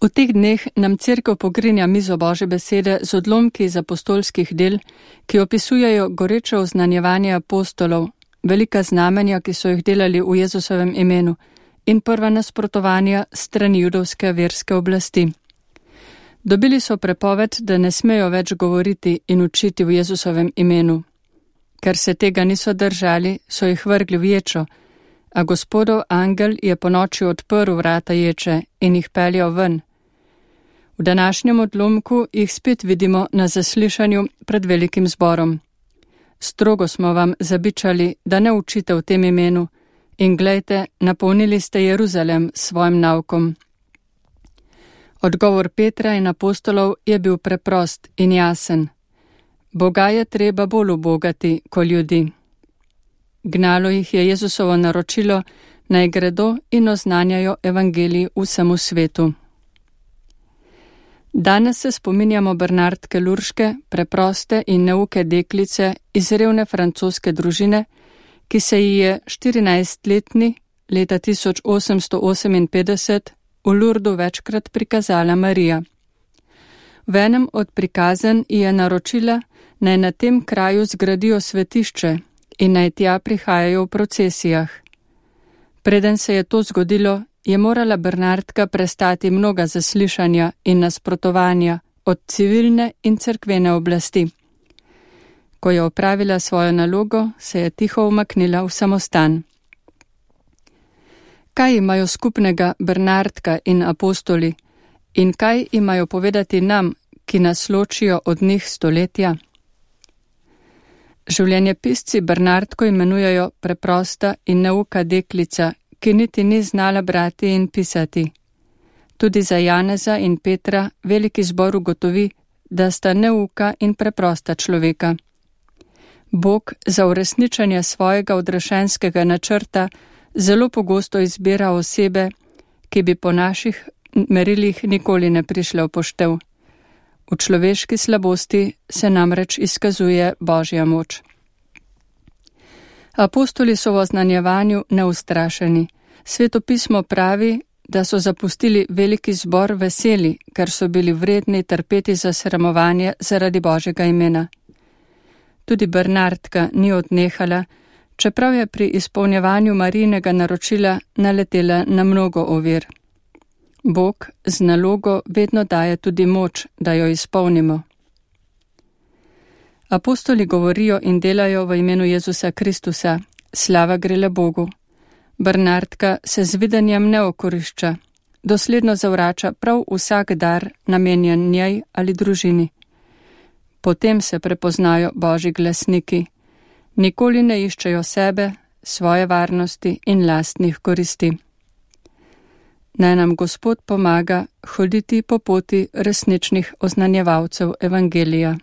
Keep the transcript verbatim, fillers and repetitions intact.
V teh dneh nam Cerkev pogrinja mizo Božje besede z odlomki iz apostolskih del, ki opisujejo goreče oznanjevanje apostolov, velika znamenja, ki so jih delali v Jezusovem imenu, in prva nasprotovanja strani judovske verske oblasti. Dobili so prepoved, da ne smejo več govoriti in učiti v Jezusovem imenu. Ker se tega niso držali, so jih vrgli v ječo, a Gospodov angel je ponoči odprl vrata ječe in jih peljal ven. V današnjem odlomku jih spet vidimo na zaslišanju pred velikim zborom. Strogo smo vam zabičali, da ne učite v tem imenu, in glejte, napolnili ste Jeruzalem s svojim naukom. Odgovor Petra in apostolov je bil preprost in jasen. Boga je treba bolj ubogati kot ljudi. Gnalo jih je Jezusovo naročilo, naj gredo in oznanjajo evangelij vsemu svetu. Danes se spominjamo Bernardke Lurške, preproste in neuke deklice iz revne francoske družine, ki se ji je štirinajstletni leta tisoč osemsto oseminpetdeset v Lurdu večkrat prikazala Marija. V enem od prikazen ji je naročila, naj na tem kraju zgradijo svetišče in naj tja prihajajo v procesijah. Preden se je to zgodilo, je morala Bernardka prestati mnoga zaslišanja in nasprotovanja od civilne in cerkvene oblasti. Ko je opravila svojo nalogo, se je tiho umaknila v samostan. Kaj imajo skupnega Bernardka in apostoli in kaj imajo povedati nam, ki nas ločijo od njih stoletja? Življenjepisci Bernardko imenujejo preprosta in neuka deklica, ki niti ni znala brati in pisati. Tudi za Janeza in Petra veliki zbor ugotovi, da sta neuka in preprosta človeka. Bog za uresničenje svojega odrešenskega načrta zelo pogosto izbira osebe, ki bi po naših merilih nikoli ne prišle v poštev. V človeški slabosti se namreč izkazuje Božja moč. Apostoli so v oznanjevanju neustrašeni. Sveto pismo pravi, da so zapustili veliki zbor veseli, ker so bili vredni trpeti za sramovanje zaradi Božjega imena. Tudi Bernardka ni odnehala, čeprav je pri izpolnjevanju Marijinega naročila naletela na mnogo ovir. Bog z nalogo vedno daje tudi moč, da jo izpolnimo. Apostoli govorijo in delajo v imenu Jezusa Kristusa, slava gre le Bogu. Bernardka se z videnjem ne okorišča, dosledno zavrača prav vsak dar namenjen njej ali družini. Potem se prepoznajo Božji glasniki. Nikoli ne iščejo sebe, svoje varnosti in lastnih koristi. Naj nam Gospod pomaga hoditi po poti resničnih oznanjevalcev evangelija.